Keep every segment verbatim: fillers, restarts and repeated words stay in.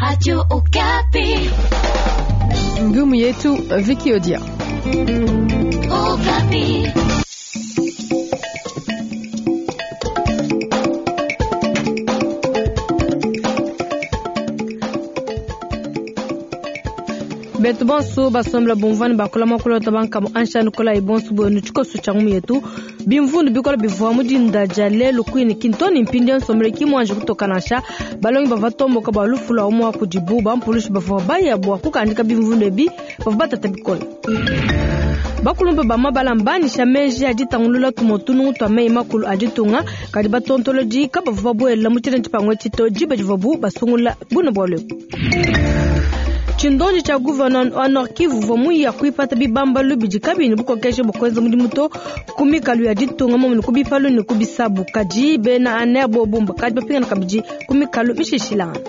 Radio Okapi. Ngumu yetu Vicky Odia. Okapi. Betu bonso basombela bumvani bakola makulota bankamu anshani kola ibonso bwenu tshikoso tsha ngumu yetu bimvundu bikola bivua mudinda dia lelu kwini kintoni mpindi nsombele kimwanje kutoka balongi bava tomboka bua lufu lua umua kudibu bampulushi bavua baya bua kukandika bimvundu ebi bavua batata bikola bakulumba bamabala mbanisha meji aditangulula tumotunungu twa mei makulu aditunga kadi batontolodi kabavua babuela mu tshina tshipangu tshito diba divuabu basungula buna bua lwebu. Tshindonji tsha gouverneur wa Nord Kivu uvua muya kuipata bibambalu bidi kabini bukokeshe bukwenza mudimu to ku mikalu ya ditunga momene ku bipalu ne ku bisabu kadi bena aner bobumba kadi bapingana kabidi ku mikalu mishishilangana.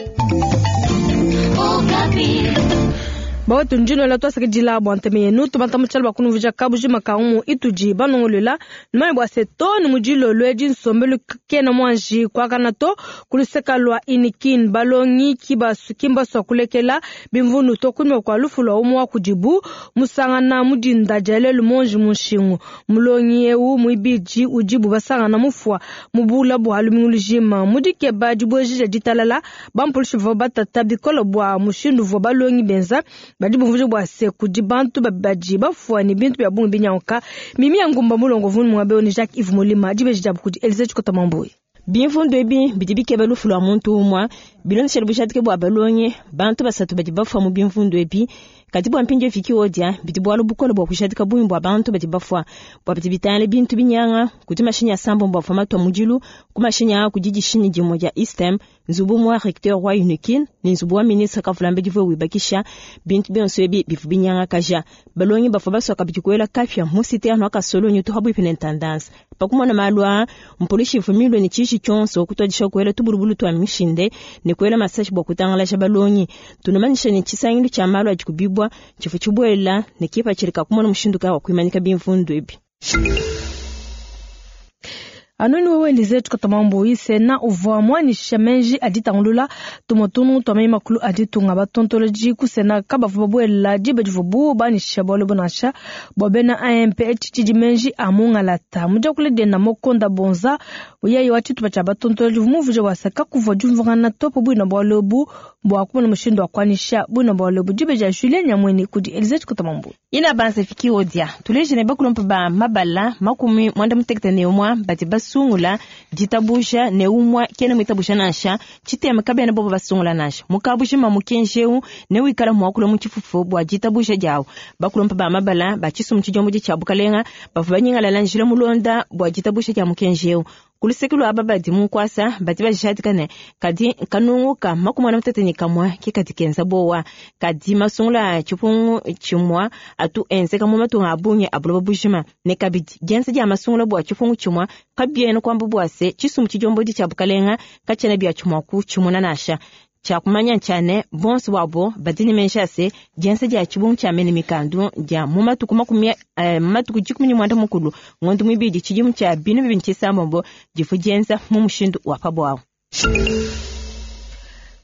Bawetu njino la twasakidila bua nteme yenu tubanta mutshala bua kunumvuija kabujima ka umu itudi banongolola numanye bua se to ni mudilolo edi nsombelu kena muanji kuakana to kuluseka lua inikin balongi kibasu kimbasua kulekela bimvundu to kunyima kua lufu lua umu wa kudibu musangana mudinda dia lelu monji munshingu mulongi eu muibidi udibu basangana mufua mubula bua lumingu lujima mudikeba dibuejija ditalala bampulushi bavua batata bikola bua mushindu uvua balongi benza badi bumvuje bua se kudi bantu badi bafua ne bintu bia bungi binyanguka mimi ya ngumba mulongo vunu mwabe ni Jacques Yves Molima dibeji dia kudi Elise Chikota Mambui. Bimvundu ebi bidi bikeba lufu lua muntu umua bilondeshela bujadike bua balongi bantu basatu badi bafua mu bimvundu ebi kadi bua mpindieu Vicky Odia bidi bualu bukole bua kujadika bungi bua bantu badi bafua bua bidi bitangila bintu binyanga kudi mashinyi asambombo avua matua mudilu ku mashinyi aa kudi dishinyi dimue dia Istem nzubu mua recteur wa Unikin ne nzubu wa ministre Kavulambedi divua wibakisha bintu bionso ebi bivua binyangakaja balongi bavua basua kabidi kuela kapia mu citerne wa Kasolonyi to pabuipi ne intendance pakumona malu aa mpolisi ivua milue ne tshiji tshionso kutuadisha kuela tubulubulu tua mishinde ne kuela masashi bua kutangalaja balongi tunamanyisha ne tshisangilu tshia malu adi kubibwa tshivua tshibuela ne kipatshilika kumona mushindu kayi wa kuimanyika bimvundu ebi. Anoni wewe Elize Chikota Mambui sena uvua muanyisha menji aditangulula tumotunu tua mei makulu aditunga batontoloji ku sena kabavua babuela diba divuabu banyisha bualu bunansha bua bena A M P tshidi menji a mungalata mudiakule dienda mokonda bonza yeye wa tshitupa tshia batontoloji muvuje wasaka kuvua diumvuangana topo buina bualu ebu bua kumona mushindu wa kuanyisha buina bualu ebu diba dia Julien Nyamwene kudi Elize Chikota Mambui. Ina banse Vicky Odia tuleje ne bakulumpa ba mabala makumi mwanda mutekete ne umua badi basungula ditabusha ne umua kena mwitabusha nansha tshitema kabena bobo basungula nansha mukabujima mukenjeu ne wikala muakula mu tshifufu bua ditabusha diawu bakulumpa ba mabala ba tshisumu tshidiombo tshia bukalenga bavua banyingalala njila mulonda bua ditabusha dia mukenjeu kuluseke lua aba badi munkwasa badi bajadika ne kadi kanunguka makumi ana mutete ne kamua ke kadi kenza bowa kadi masungula tshipungu tshimua atu enzeka mu matunga a bungi a buloba bujima ne kabidi dienza dia masungula bua tshipungu tshimua kabiena kuamba bua se tshisumu tshidiombodi tshia bukalenga katshiena bia tshimua ku tshimuna nansha tshia kumanya ntshia bonso bwabo badi ne menji ase dienza dia tshibungu tshia mene mikandu dia mu matuku makumi eh, matuku dikumi ne mwanda mukulu ngondo muibidi tshidimu tshia binu bibini tshisambombo difu dienza mu mushindu wa pabwawu.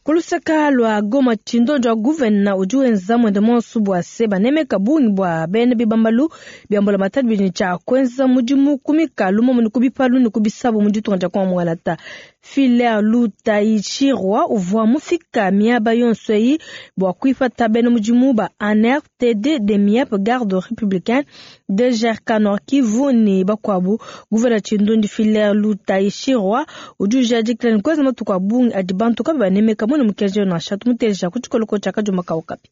Kuluseka lua Goma tshindonjo wa gouverneur udi wenza mwende monso bua se banemeka bungi bua bena bibambalu bia mbula matadi bidi tshia kuenza mudimu ku mikalu momene ku bipalu ne ku bisabu mu ditunga dia Kongo Filaire Lutaichirwa uvua mufika miaba yonso eyi bua kuipata bena mudimu ba A N R T D de M I E P Garde Républicaine de G R K Nord Kivu ne bakuabu. Gouverneur Tshindondi Filaire Lutaichirwa udi ujadikila ne kuenza matuku a bungi adi bantu kabi banemeka mune mukenji nansha tumuteja ku tshikoloko tshia Kadioma Kaukapi.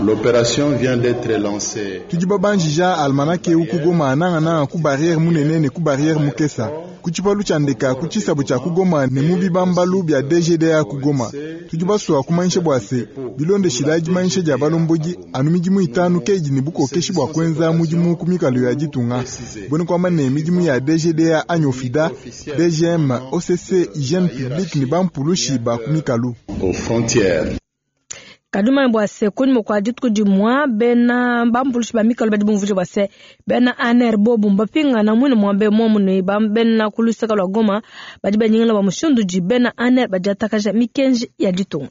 L'opération vient d'être lancée. Tudi babanjija almanake eu ku Goma nanga ku barrière munene ne ku barrière mukesa. Ku tshipalu tshia ndeka ku tshisabu tshia ku Goma ne mu bibambalu bia D G D A ku Goma. Tudi basua kumanyisha bua se bilondeshila dimanyisha dia balombodi anu midimu itanu keidi ne bukokeshi bua kuenza mudimu ku mikalu ya ditunga. Bone kuamba ne midimu ya D G D A anyi Ofida, D G M, O C C, hygiène publique ne bampulushi ba ku mikalu. Aux frontières. Kaduma bua se kunyima kua dituku dimua bena bampulushi ba mikalo badi bumvuje bua se bena A N R bobu mbapingana mwine muambe momu ne bena ku luseka lua Goma badi banyingila ba mushindu di bena A N R badi atakaja mikenji ya ditunga.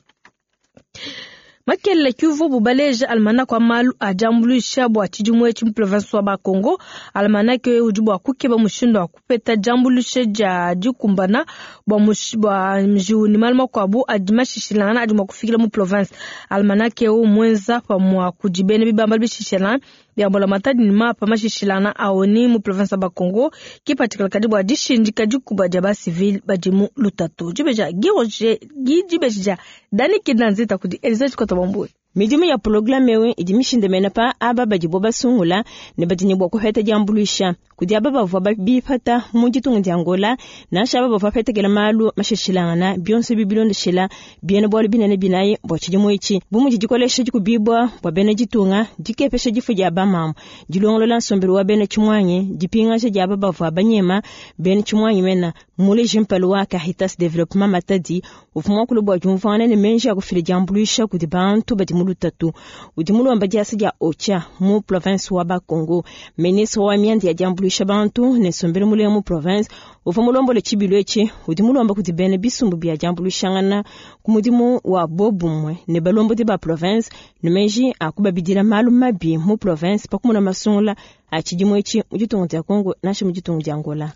Makelele kiuvu bubaleja almanach wa malu a diambuluisha bua tshidimu etshi mu province wa Bakongo. Almanach udi bua kukeba mushindu wa kupeta diambuluisha dia dikumbana bua bua njiwu ne malu makuabu adi mashishilangana adi mua kufikila mu province. Almanach eu mwenza pamua kudi bena bibamba bishishilangana bia mbulamatadi ne mapa mashishilangana aoni mu province ya Bakongo kipatikala kadi bua dishindika dikuba dia basivile badi mu lutatu. Dibeja Giroje dibeja Dani Kindanzita kudi Elizabeth Kotobambwe. Midimu ya programme ewu idi mishindamena pa aba badibo basungula ne badi ne bua kuheta diambuluisha kudi aba bavua bipata mu ditunga dia Angola nansha aba bavua bapetekela malu mashishilangana bionso bibilondeshela biena bualu binene binayi bua tshidimu etshi bu mudi dikolesha dikubibua bua bena ditunga dikepesha difu dia bamamu dilongolola nsombelu wa bena tshimwanyi dipingaja dia aba bavua banyema bena tshimwanyi mena muleji mpalu wa Caritas Development Matadi uvua muakulu bua diumvuangana ne menji a kufila diambuluisha kudi bantu badi mu lutatu udi mulomba diasa dia Ocha mu province wa Bakongo. Ministre wa mianda ya diambuluisha bantu ne nsombelu mulenga mu province uvua mulombola tshibilu etshi udi mulomba kudi bena bisumbu bia diambuluishangana ku mudimu wa bobumwe ne balombodi ba province ne menji a kubabidila malu mabi mu province pakumuna masungula a tshidimu etshi mu ditunga dia Congo nansha mu ditunga dia Angola.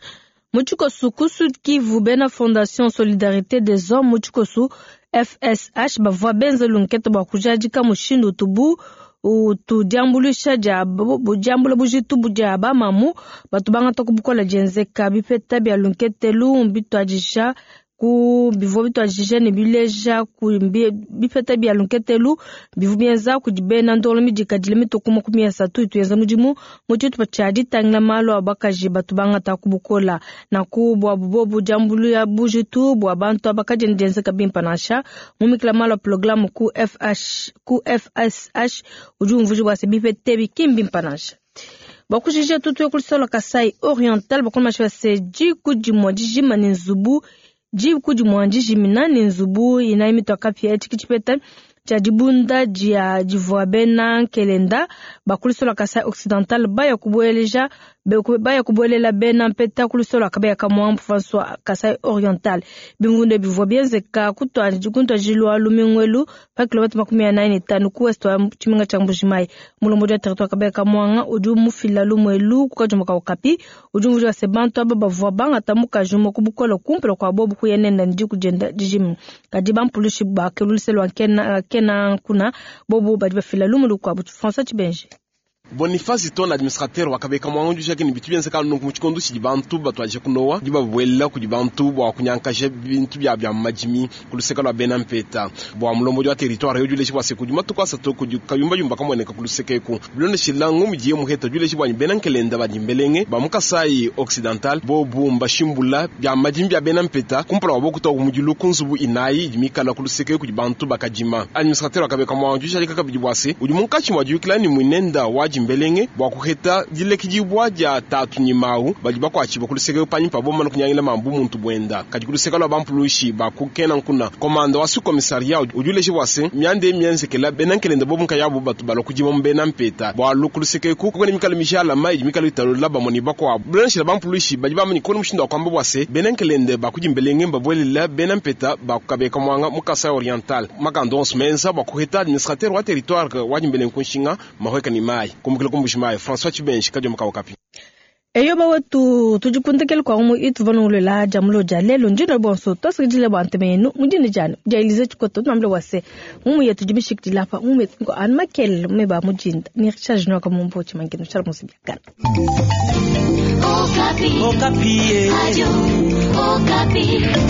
Mutshikosu ku Sud Kivu bena Fondation Solidarité des Hommes Mutshikosu F S H bavua benza lunkete bua kujadika mushindu utubu utudiambuluisha dia diambula bujitu dia bamamu batu bangata ku bukola dienzeka bipeta bia lunkete lu bituadisha ku bivua bituadisha ne bileja ku bipeta bia lunkete lu bivua bienza kudi bena ndolo midikadile mituku makumi asatu ituyenza mudimu mu tshitupa tshia ditangila malu a bakaji batu bangata ku bukola na ku bua bubobu diambuluya bujitu bua bantu abakaji dienzeka bimpa nansha mumikila malu a programme ku F H ku F S H udi umvuja bua se bipete bikimbi mpa nansha. Bakujija tutu ya Kasai Oriental bakoma se diku dimue dijima ne nzubu diku dimue dijimina ne nzubu inayi mitoka pia tshikitshipeta tshia dibunda dia divua bena nkelenda bakulisola Kasai Occidental baya kubueleja baya kubuelela bena mpeta kulisola kabeya kamwa François Kasai Oriental bingunde bivua bienzeka kuntwajilwa lumingwelu pa kilomita makumi anayi ne tano ku west wa tshimenga tshia Mbujimayi. Mulombodi wa territoire kabeya kamwanga udi mufila lumwelu kukajumba ka Okapi udi umvuja se bantu aba bavua bangata mukaji umue ku bukola kumpala kua bobu kuyenenda ndi kujenda dijimi kadi bampulushi bakeluliselwa nkena kena kuna bobu badi bafila lumulu kwa François Tshibenje. Boniface ton administrateur wakabeka mwangu jake ni bitu bienzeka nunku mu tshikondo tshidi bantu batwaje kunowa di babuelela kudi bantu bua kunyankaje bintu bya bya majimi kuluseka lwa bena mpeta bua mulombodi wa territoire yoduleshe bua se kudi matuku asatu kudi kayumba yumba kamoneka kuluseka eku bilondeshela ngomu diye muheta duleshe bua bena nkelenda badi mbelenge ba mu Kasai Occidental bobu mbashimbula bya majimi bya bena mpeta kumpala wa bokuta ku mudilu ku nzubu inayi idi mikala kuluseka kudi bantu bakajima. Administrateur wakabeka mwangu jake kabidi bua se udi munkatshi mwa diyukila ni mwinenda wa mbelenge bua kuheta dilekidibwa dia tatu nyimau badi bakwachiba kuluseka panyi pa bomana kunyangila mambu muntu bwenda kadi kuluseka lwa bampulushi bakukena nkuna komanda wa su-commissariat uduleshe bua se miande mienzekela bena nkelenda bobu nkayabu batu balua kudima mu bena mpeta bua kuluseka eku kukone mikalo mishalama idi mikalo italola bamoni bakuabu bilondeshela bampulushi badi bamani kone mushindu wa kuamba bua se bena nkelende bakudi mbelenge mbabuelela bena mpeta bakukabeka mwanga mu Kasai Oriental makando onso menza bua kuheta administrateur wa territoire wa dimbelenge kunshinga mahweka ni mai kumukila kumbujimayi François Tshibenji kadioma ka Okapi. Eyo bawetu tudikundekele kwa umu itu vanungulela jamulo ja lelo ndino bonso tosikidile bwa ntemenu mudini jani ja Elize Tshikoto tunambile wase mumu yetu dibishikidila pa mumu yetu ngo anu makele mume ba mujinda ni Richard Junior ka mumbo chimangino chala musibyakana. Okapi. Okapi. Radio Okapi.